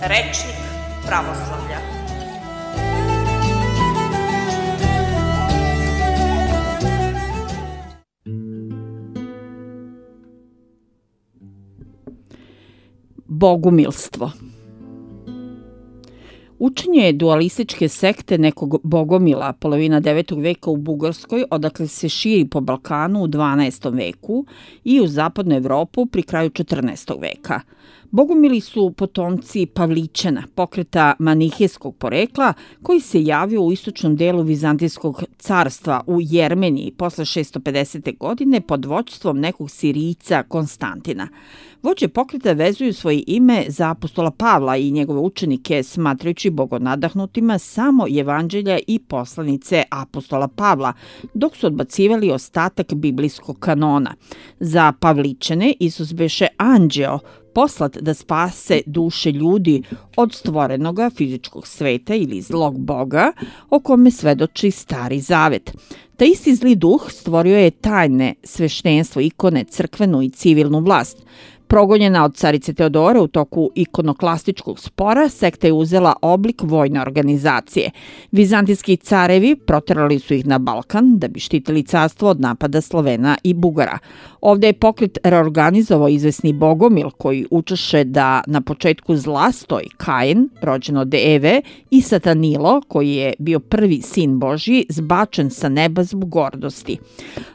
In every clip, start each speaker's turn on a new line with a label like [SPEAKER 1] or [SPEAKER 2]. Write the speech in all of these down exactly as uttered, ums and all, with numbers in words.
[SPEAKER 1] Rečnik pravoslavlja.
[SPEAKER 2] Bogumilstvo. Učenje dualističke sekte nekog bogomila polovina devetog veka u Bugarskoj, odakle se širi po Balkanu u dvanaestom veku i u zapadnu Evropu pri kraju četrnaestog veka. Bogumili su potomci Pavlićana, pokreta manihejskog porekla, koji se javio u istočnom delu Vizantijskog carstva u Jermeniji posle šesto pedesete. godine pod vođstvom nekog Sirijca Konstantina. Vođe pokreta vezuju svoje ime za apostola Pavla i njegove učenike, smatrajući bogonadahnutima samo evanđelja i poslanice apostola Pavla, dok su odbacivali ostatak biblijskog kanona. Za Pavlićane Isus beše anđeo, poslat da spase duše ljudi od stvorenoga fizičkog sveta ili zlog boga, o kome svedoči Stari zavet. Taj isti zli duh stvorio je tajne sveštenstvo, ikone, crkvenu i civilnu vlast. Progonjena od carice Teodore u toku ikonoklastičkog spora, sekta je uzela oblik vojne organizacije. Vizantijski carevi proterali su ih na Balkan da bi štitili carstvo od napada Slovena i Bugara. Ovde je pokret reorganizovao izvesni bogomil koji učeše da na početku zla stoji Kain, rođen od Eve, i Satanilo, koji je bio prvi sin Božji, zbačen sa neba zbog gordosti.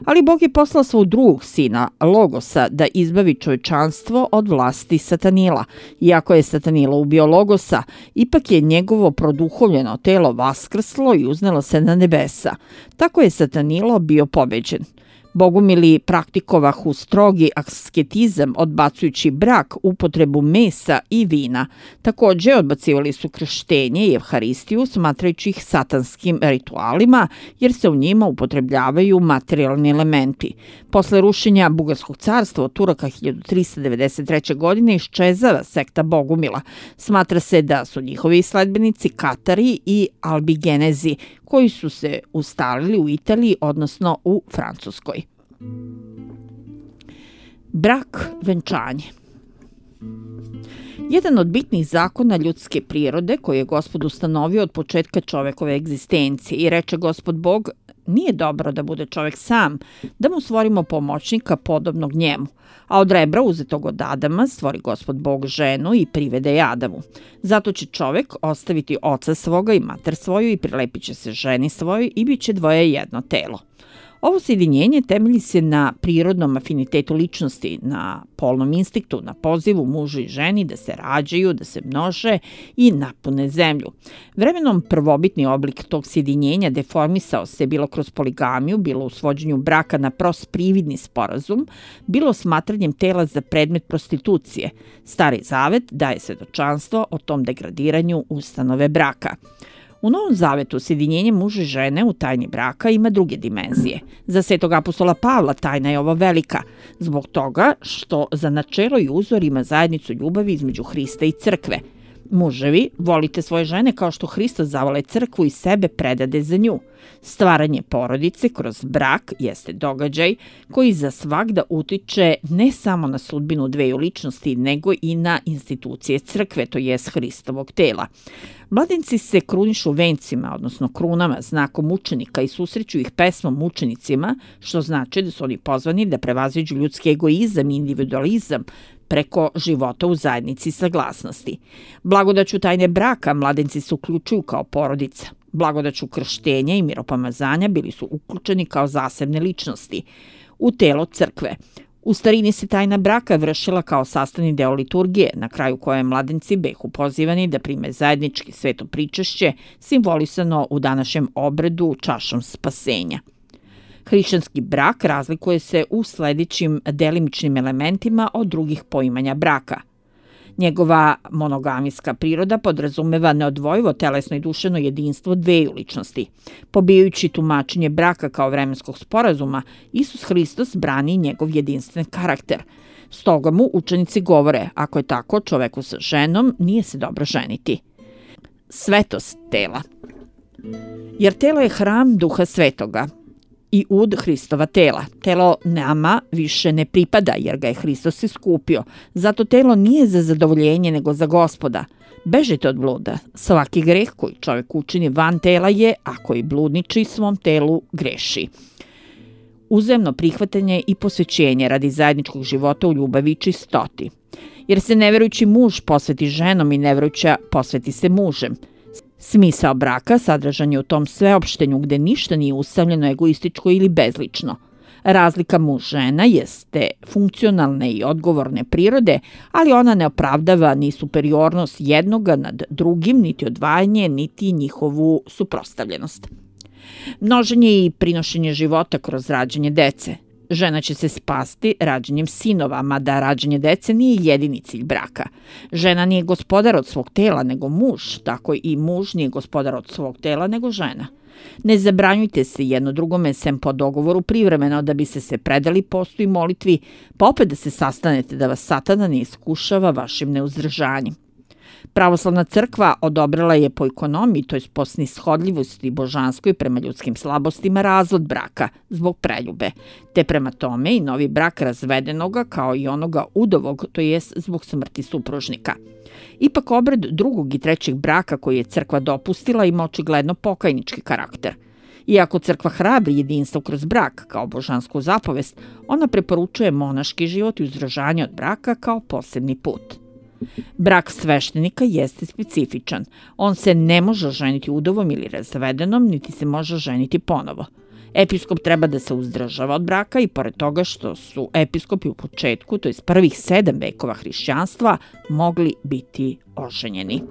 [SPEAKER 2] Ali Bog je poslao svog drugog sina, Logosa, da izbavi čovečanstvo od vlasti Satanila. Iako je Satanilo ubio Logosa, ipak je njegovo produhovljeno telo vaskrslo i uznelo se na nebesa. Tako je Satanilo bio pobeđen. Bogumili praktikovahu strogi asketizam, odbacujući brak, upotrebu mesa i vina. Takođe, odbacivali su krštenje i evharistiju, smatrajući ih satanskim ritualima, jer se u njima upotrebljavaju materijalni elementi. Posle rušenja Bugarskog carstva od Turaka hiljadu trista devedeset treće. godine iščezava sekta Bogumila. Smatra se da su njihovi sledbenici Katari i Albigenezi, koji su se ustalili u Italiji, odnosno u Francuskoj. Brak, venčanje. Jedan od bitnih zakona ljudske prirode koji je Gospod ustanovio od početka čovekove egzistencije i reče Gospod Bog: nije dobro da bude čovek sam, da mu stvorimo pomoćnika podobnog njemu. A od rebra uzetog od Adama stvori Gospod Bog ženu i privede je Adamu. Zato će čovek ostaviti oca svoga i mater svoju i prilepit će se ženi svojoj i bit će dvoje jedno telo. Ovo sjedinjenje temelji se na prirodnom afinitetu ličnosti, na polnom instinktu, na pozivu mužu i ženi da se rađaju, da se množe i napune zemlju. Vremenom prvobitni oblik tog sjedinjenja deformisao se bilo kroz poligamiju, bilo u svođenju braka na prost prividni sporazum, bilo smatranjem tela za predmet prostitucije. Stari zavet daje svedočanstvo o tom degradiranju ustanove braka. U Novom zavetu sjedinjenje muža i žene u tajni braka ima druge dimenzije. Za svetog apostola Pavla tajna je ova velika, zbog toga što za načelo i uzor ima zajednicu ljubavi između Hrista i crkve. Muževi, volite svoje žene kao što Hristos zavole crkvu i sebe predade za nju. Stvaranje porodice kroz brak jeste događaj koji za svagda utiče ne samo na sudbinu dveju ličnosti, nego i na institucije crkve, to jest Hristovog tela. Mladenci se krunišu vencima, odnosno krunama, znakom mučenika i susreću ih pesmom mučenicima, što znači da su oni pozvani da prevaziđu ljudski egoizam i individualizam preko života u zajednici saglasnosti. Blagodaću tajne braka mladenci se uključuju kao porodica. Blagodaću krštenja i miropomazanja bili su uključeni kao zasebne ličnosti u telo crkve. U starini se tajna braka vršila kao sastavni deo liturgije, na kraju koje mladenci behu pozivani da prime zajednički sveto pričašće, simbolisano u današnjem obredu čašom spasenja. Hrišćanski brak razlikuje se u sledećim delimičnim elementima od drugih poimanja braka. Njegova monogamijska priroda podrazumeva neodvojivo telesno i duševno jedinstvo dveju ličnosti. Pobijajući tumačenje braka kao vremenskog sporazuma, Isus Hristos brani njegov jedinstven karakter. Stoga mu učenici govore, ako je tako, čoveku sa ženom nije se dobro ženiti. Svetost tela. Jer telo je hram Duha Svetoga i ud Hristova tela. Telo nama više ne pripada jer ga je Hristos iskupio. Zato telo nije za zadovoljenje nego za Gospoda. Bežite od bluda. Svaki greh koji čovjek učini van tela je, a koji bludniči svom telu greši. Uzajamno prihvatanje i posvećenje radi zajedničkog života u ljubavi i čistoti. Jer se neverujući muž posveti ženom i neverujuća posveti se mužem. Smisao braka sadržan je u tom sveopštenju gde ništa nije usamljeno, egoističko ili bezlično. Razlika muž-žena jeste funkcionalne i odgovorne prirode, ali ona ne opravdava ni superiornost jednoga nad drugim, niti odvajanje, niti njihovu suprotstavljenost. Množenje i prinošenje života kroz rađanje dece. Žena će se spasti rađanjem sinova, mada rađanje dece nije jedini cilj braka. Žena nije gospodar od svog tela, nego muž, tako i muž nije gospodar od svog tela, nego žena. Ne zabranjujte se jedno drugome sem po dogovoru privremeno da bi se se predali postu i molitvi, pa opet da se sastanete da vas satana ne iskušava vašim neuzdržanjem. Pravoslavna crkva odobrila je po ekonomiji, to je po snishodljivosti božanskoj prema ljudskim slabostima, razvod braka zbog preljube, te prema tome i novi brak razvedenoga kao i onoga udovog, to jest zbog smrti supružnika. Ipak obred drugog i trećeg braka koji je crkva dopustila ima očigledno pokajnički karakter. Iako crkva hrabri jedinstvo kroz brak kao božansku zapovest, ona preporučuje monaški život i uzdržanje od braka kao posebni put. Brak sveštenika jeste specifičan. On se ne može ženiti udovom ili razvedenom, niti se može ženiti ponovo. Episkop treba da se uzdržava od braka i pored toga što su episkopi u početku, to je prvih sedam vekova hrišćanstva, mogli biti oženjeni.